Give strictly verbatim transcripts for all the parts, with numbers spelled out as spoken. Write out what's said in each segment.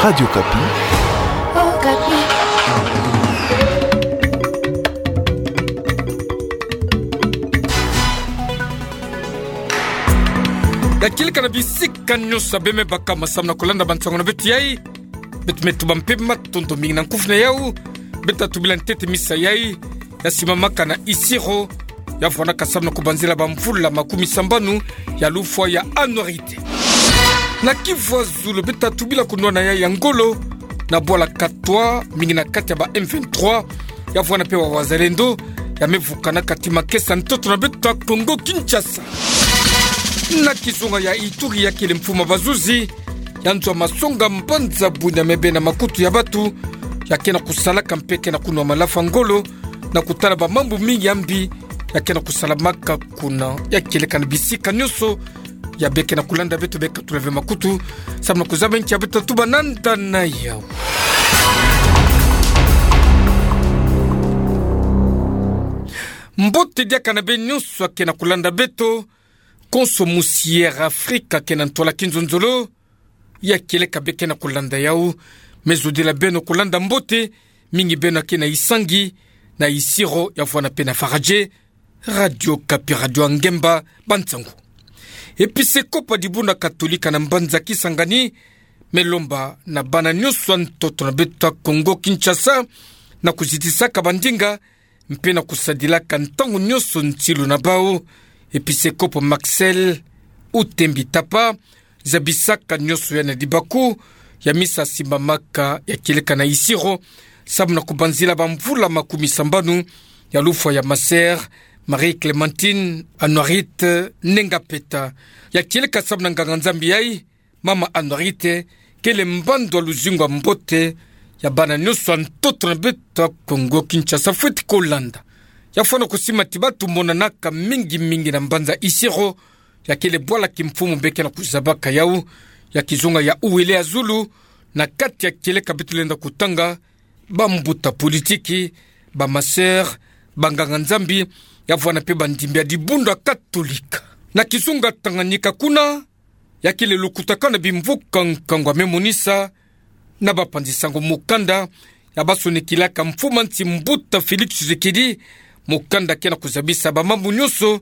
Radio Okapi. Okapi. Ya kieleka na bisika nyonso ya bembe bakama samu na kulanda bansango na beto yai. Beto me tuba mpemba matondo mingi na nkufi na yau. Beto tubila ntete misa yai ya simamaka na Isiro, ya vwanaka samu na kubanzila bamvula makumi sambanu ya lufwa ya anuarité. Na Kivu ya Zulu beto tubila kunwana yai ya ngolo na bwala Katwa, mingi na kati ya ba M vingt-trois, ya vwana mpe ba wazalendo, ya me vukana kati makesa ntoto na beto ya Kongo Kinshasa. Na kizunga ya Ituri, ya kele mfumu ya bazuzi ya nzo ya masonga mbanza Bunia me bena makutu ya bato, ya ke na kusalaka mpe ke na kunwa malafu ya ngolo na kutala bamambu mingi ya mbi ya ke na kusalamaka kuna. Ya kieleka na bisika nyonso ya beke na kulanda beto, beka tula ve makutu samu na kuzaba nki ya beto tatuba nanda na yau. Mbote diaka na beno nyonso ya ke na kulanda beto. Konso musi Air Afrika ke na ntwala kinzonzolo. Ya kieleka beke na kulanda yau, me zodila beno kulanda mbote, mingi beno ya ke na isangi na Isiro, ya vwana mpe na Faradje. Radio Okapi, radio ya ngemba, bansango. Episekopo ya dibundu ya Katolika na mbanza Kisangani me lomba na bana nyonso ya ntoto na beto ya Kongo Kinshasa na kuzitisaka bandinga mpe na kusadilaka ntango nyonso nsilu na bau. Episekopo Marcel Utembi Tapa zabisaka nyonso yai na libaku ya misa simbamaka ya kieleka na Isiro samu na kubanzila bamvula makumi sambanu ya lufwa ya ma sœur Marie Clémentine Anuarite Nengapeta. Ya kieleka samu na nganga-Nzambi yai, mama Anuarite kele mbandu ya luzingu ya mbote ya bana nyonso ya ntoto na beto ya Kongo Kinshasa. Fweti kulanda. Ya fwana kusima ti bato monanaka mingi mingi na mbanza Isiro, ya kele bwala kimfumu beke na kuzabaka yau, ya kizunga ya Uele ya zulu, na kati ya kieleka beto lenda kutanga, bambuta politiki, ba ma sœur, banganga-Nzambi, ya vwana mpe bandimbi ya dibundu ya Katolika. Na kizunga Tanganyika kuna, ya kele lukutakanu ya bimvuka nkangu ya me monisa na bapanzi sango mukanda ya basonekilaka mfumu ya nsi mbuta Félix Tshisekedi, mukanda ke na kuzabisa bamambu nyonso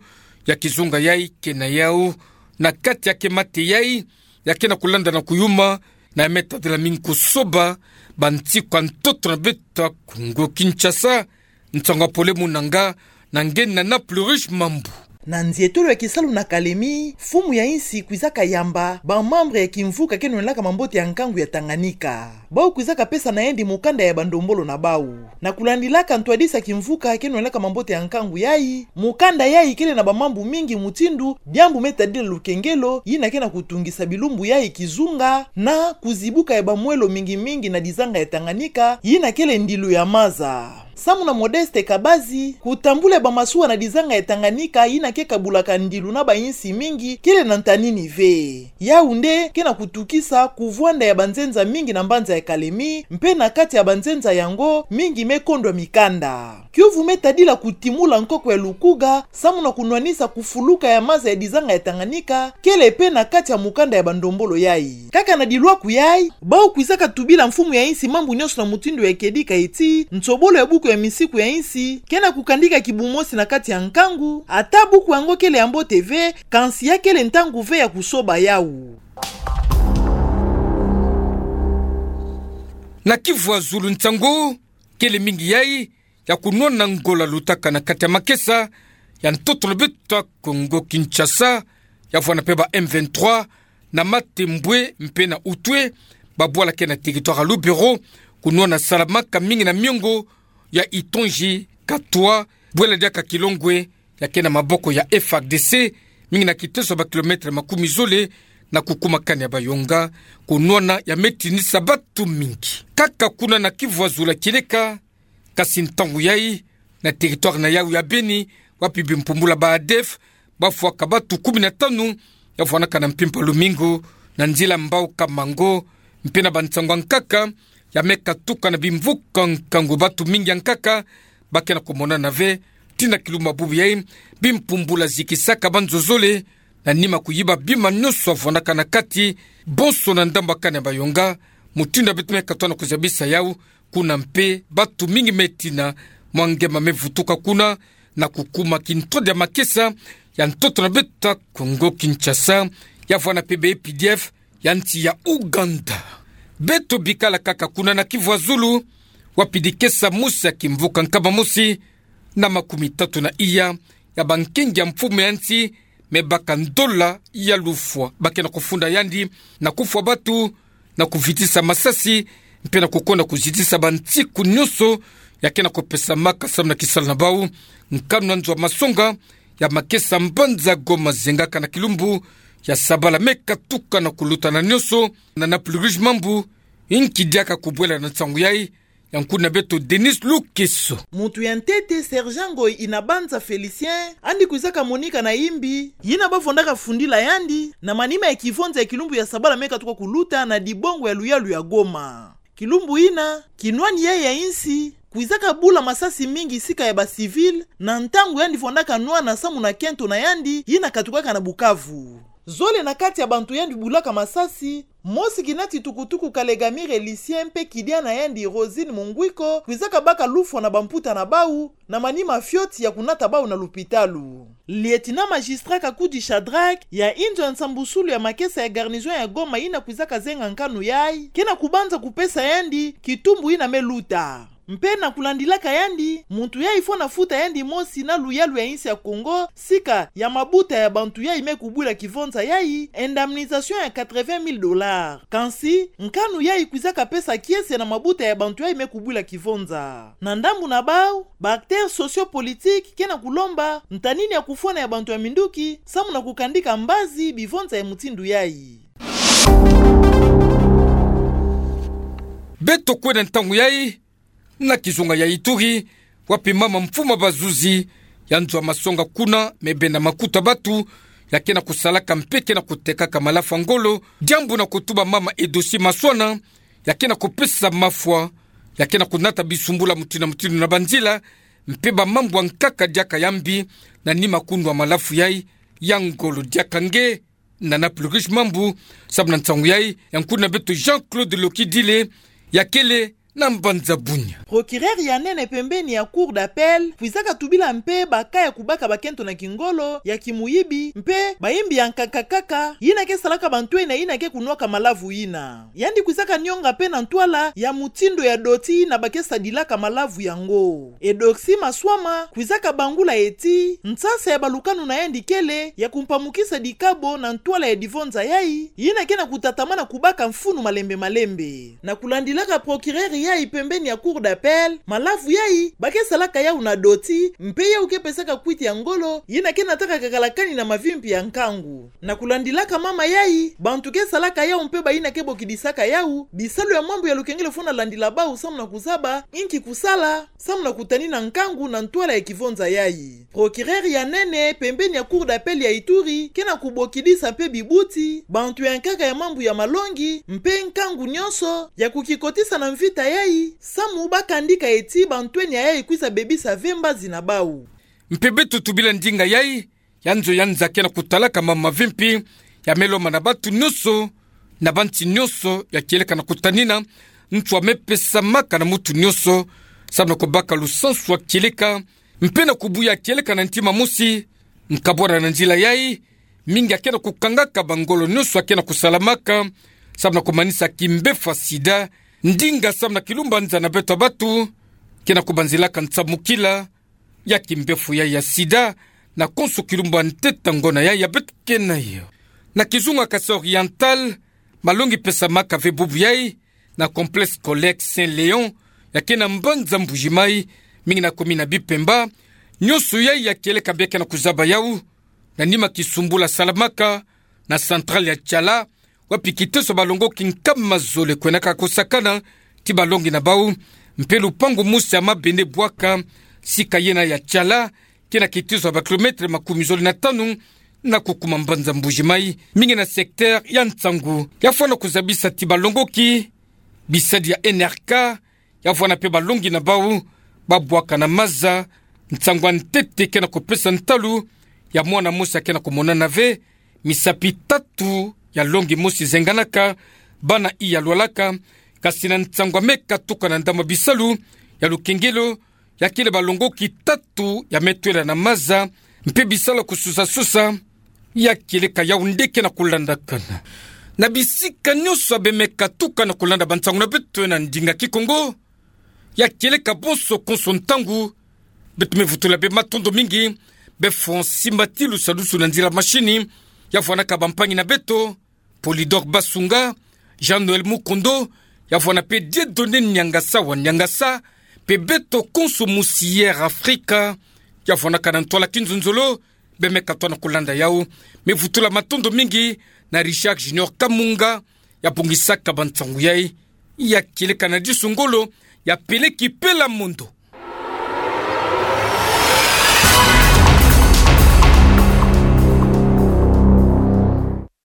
ya kizunga yai ke na yau, na kati ya kemate yai ya ke na kulanda na kuyuma, na ya me tadila mingi kusoba bansiku ya ntoto na beto ya Kongo Kinshasa. Nsango ya pole munanga na nge Nana Plurish Mambu. Na nzietolo ya kisalu na Kalemi, mfumu ya insi kwizaka yamba bamembre ya kimvuka ke nwanelaka mambote ya nkangu ya Tanganyika. Bau kwizaka pesa na yandi mukanda ya bandombolo na bau. Na kulandilaka ntwadisi ya kimvuka ke nwanelaka mambote ya nkangu yai, mukanda yai kele na bamambu mingi mutindu diambu me tadila lukengelo, yina ke na kutungisa bilumbu yai kizunga, na kuzibuka ya bamwelo mingi mingi na dizanga ya Tanganyika, yina kele ndilu ya maza. Samu na Modeste Kabazi, kutambula ya bamasuwa na dizanga ya Tanganyika, yina ke kabulaka ndilu na ba insi mingi, kele na ntanini ve. Yau nde ke na kutukisa kuvwanda ya banzenza mingi na mbanza ya Kalemi, mpe na kati ya banzenza yango, mingi me kondwa mikanda. Kiuvu me tadila kutimula nkoko ya lukuga, samu na kunwanisa kufuluka ya maza ya dizanga ya Tanganyika, kele mpe na kati ya mukanda ya bandombolo yai. Kaka na dilwaku yai, bau kwizaka tubila mfumu ya insi mambu nyonso na mutindu ya kedika eti, nsobolo ya buku ya misiku ya insi ke na kukandika kibumosi na kati ya nkangu, ata buku yango kele ya mbote ve, kansi ya kele ntangu ve ya kusoba yau. Na Kivu ya zulu, nsangu kele mingi yai ya kunwana ngolo lutaka na kati ya makesa ya ntoto na beto ya Kongo Kinshasa, ya vwana mpe ba M vingt-trois na Matembwe mpe na Utwe, babwala ke na territoire ya Lubero, kunwana salamaka mingi na miongo ya Itonji, Katwa, bwela diaka Kilongwe, ya ke na maboko ya F A R D C, mingi na kiteso ya ba kilomètre makumi zole na kukuma kani ya Bayonga, kunwana ya me tinisa bato mingi. Kaka kuna na Kivu ya zulu kieleka, kasi ntangu yai, na territoire na yau ya Beni, wapi bimpumbula ba ADF bafwaka bato kumi na tanu, ya vwanaka na mpimpa lumingu, na nzila Mbao-Kamango, mpe na bansangu ya nkaka ya me katuka na bimvuka nkangu, bato mingi ya nkaka ba ke na kumonana ve, tii na kilumbu bubu yai, bimpumbula zikisaka banzo zole, na nima kuyiba bima nyonso ya vwanaka na kati, bonso na ndambu ya kani ya Bayonga, mutindu ya beto me katoa na kuzabisa yau, kuna mpe batu mingi me tina mwa ngema me vutuka kuna, na kukuma kintwadi ya makesa ya ntoto na beto ya Congo Kinshasa, ya vwanda mpe ba A P D F ya nsi ya Ouganda. Beto bikala kaka kuna na Kivu ya Zulu, wapi dikesa mosi ya kimvuka nkama mosi na makumi tatu na iya ya bankengi ya mfumu ya nsi me baka ndola ya lufwa, ba ke na kufunda yandi na kufwa batu, na kuvitisa masasi, mpe na kukonda kuzitisa bansiku nyonso ya ke na kupesamaka samu na kisalu na bau. Nkanu na nzo ya masonga ya makesa mbanza Goma zengaka na kilumbu ya sabala me katuka na kuluta na nyonso, na Napoli Rouge Mambu inki diaka kubwela na nsangu yai, ya nkulu na beto Denis Lukeso. Muntu ya ntete, sergent Ngoyi Inabanza Felicien, yandi kwizaka monika na imbi yina ba vwandaka fundila yandi na manima ya kivonza ya kilumbu ya sabala me katuka kuluta na dibongo ya luyalu ya Goma. Kilumbu yina, kinwani yai ya insi kwizaka bula masasi mingi sika ya ba civil, na ntangu yandi vwandaka nwana samu na kento na yandi yina katukaka na Bukavu. Zole na kati ya bantu yandi bulaka masasi, mosi kinati tukutuku Kalegamire Lucien mpe kidia na yandi Rosine Mungwiko, kwizaka baka lufwa na bamputa na bau, na manima fioti ya kunata bau na lupitalu. Lieutenant magistrat Kakudi Shadrack, ya inzo ya nsambusulu ya makesa ya garnison ya Goma yina kwizaka zenga nkanu yai, ke na kubanza kupesa yandi kitumbu yina me luta. Mpe na kulandilaka yandi, muntu yai fwana futa yandi mosi na luyalu ya insi ya Congo, sika ya mabuta ya bantu yai me kubwila kivonza yai, indemnisation ya quatre-vingt mille dollars. Kansi, nkanu yai kwizaka pesa kiese na mabuta ya bantu yai me kubwila kivonza. Na ndambu na bau, ba acteurs sociopolitiques ke na kulomba ntanini ya kufwana ya bantu ya minduki, samu na kukandika mbazi bivonza ya mutindu yai. Beto kwenda ntangu yai na kizunga ya Ituri, wapi mama mfumu ya bazuzi ya nzo ya masonga kuna me benda makuta batu ya ke na kusalaka mpe ke na kutekaka malafu ya ngolo, diambu na kutuba mama Edosi Maswana, ya ke na kupesa mafwa, ya ke na kunata bisumbula mutindu na mutindu na banzila, mpe bamambu ya nkaka diaka ya mbi, na nima kunwa malafu yai ya ngolo. Diaka nge na Napoli Rouge Mambu, samu na nsangu yai, ya nkulu na beto Jean-Claude Lokidile, ya kele na mbanza Bunia. Procureur ya nene pembeni ya Cour d'appel kwizaka tubila mpe ba cas ya kubaka bakento na kingolo, ya kimuyibi, mpe bayimbi ya nkaka kaka yina ke salaka bantwenia yina ke kunwaka malavu yina. Yandi kwizaka nionga mpe na ntwala ya mutindu ya doti yina ba ke sadilaka malavu yango. Edoxy Maswama kwizaka bangula eti nsasa ya balukanu na yandi kele ya kumpamukisa dikabo na ntwala ya divonza yai, yina ke na kutatamana kubaka mfunu malembe malembe. Na kulandilaka procureur yai pembeni ya Cour d'appel, malavu yai ba ke salaka yau na doti, mpe yau ke pesaka kwiti ya ngolo yina ke nataka kakala kani na mavimpi ya nkangu. Na kulandilaka mama yai, bantu ke salaka yau mpe bayina ke bokidisaka yau bisalu ya mambu ya lukengele fwana landila bau samu na kuzaba inki kusala, samu na kutanina nkangu na ntwala ya kivonza yai. Procureur ya nene pembeni ya Cour d'appel ya Ituri ke na kubokidisa mpe bibuti, bantu ya nkaka ya mambu ya malongi mpe nkangu nyonso ya kukikotisa na mvita yai, samu ba kandika eti bantwenia yai kwiza bebisa ve mbazi na bau. Mpe beto tubila ndinga yai ya nzo ya nza ke na kutalaka mama mavimpi ya me lomba na bantu nyonso, na bansi nyonso ya kieleka na kutanina nswa me pesamaka na mutu nyonso, samu na kubaka lusansu ya kieleka, mpe na kubuya kieleka na ntima mosi. Nkabwana na nzila yai, mingi ya ke na kukangaka bangolo nyonso ya ke na kusalamaka, samu na kumanisa kimbefu ya sida, ndinga samu na kilumbu ya nza na beto ya bantu ke na kubanzilaka nsamukila ya kimbefu yai ya sida, na konso kilumbu ya ntete ngona yai ya beto ke nayo. Na kizunga Kasaï Oriental, malongi pesamaka ve bubu yai na complexe scolaire Saint Léon, ya ke na mbanza Mbuji-Mayi, mingi na commune ya Bipemba. Nyonso yai ya kieleka bia ke na kuzaba yau na nima kisumbula salamaka na centrale ya Tshala, wapi kiteso ya balongoki nkama zole kwenaka kosakana ti balongi na bau, mpe lupangu mosi ya mabende bwaka sika yena ya Tshala, ke na kiteso ya ba kilomètre makumi zole na tanu na kukuma mbanza Mbuji-Mayi, mingi na secteur ya Ntsangu. Ya fwana kuzabisa ti balongoki bisadi ya N R K, ya vwanda mpe balongi na bau ba bwaka na maza. Nsangu ya ntete ke na kupesa ntalu ya mwana mosi ya ke na kumonana ve, misapi tatu ya longi mosi zenganaka, bana iya lwalaka, Kasi na nsangu ya meka tuka na ndambu ya bisalu ya lukengelo, ya kele balongoki tatu ya me twela na maza mpe bisalu ya kususasusa, ya kieleka yau ndeke na kulandakana na bisika nionso ya be meka tuka na kulanda bansangu na beto na ndinga kikongo. Ya kieleka bonso konso ntangu, beto me vutula bê matondo mingi bê Francis Mbatilu, sadusu na nzila mashini, ya vwanaka bampangi na beto, Polydor Basunga, Jean-Noël Mukondo, ya vwana mpe Dieudonné Niangasa wa Niangasa, mpe beto konso Musière Afrika, ya vwanaka na ntwala kinzonzolo, bê meka twa na kulanda yau. Me vutula matondo mingi na Richard Junior Kamunga, ya bongisaka bansangu yai. Ya kieleka na disu ngolo, ya peleki Pela Mondo,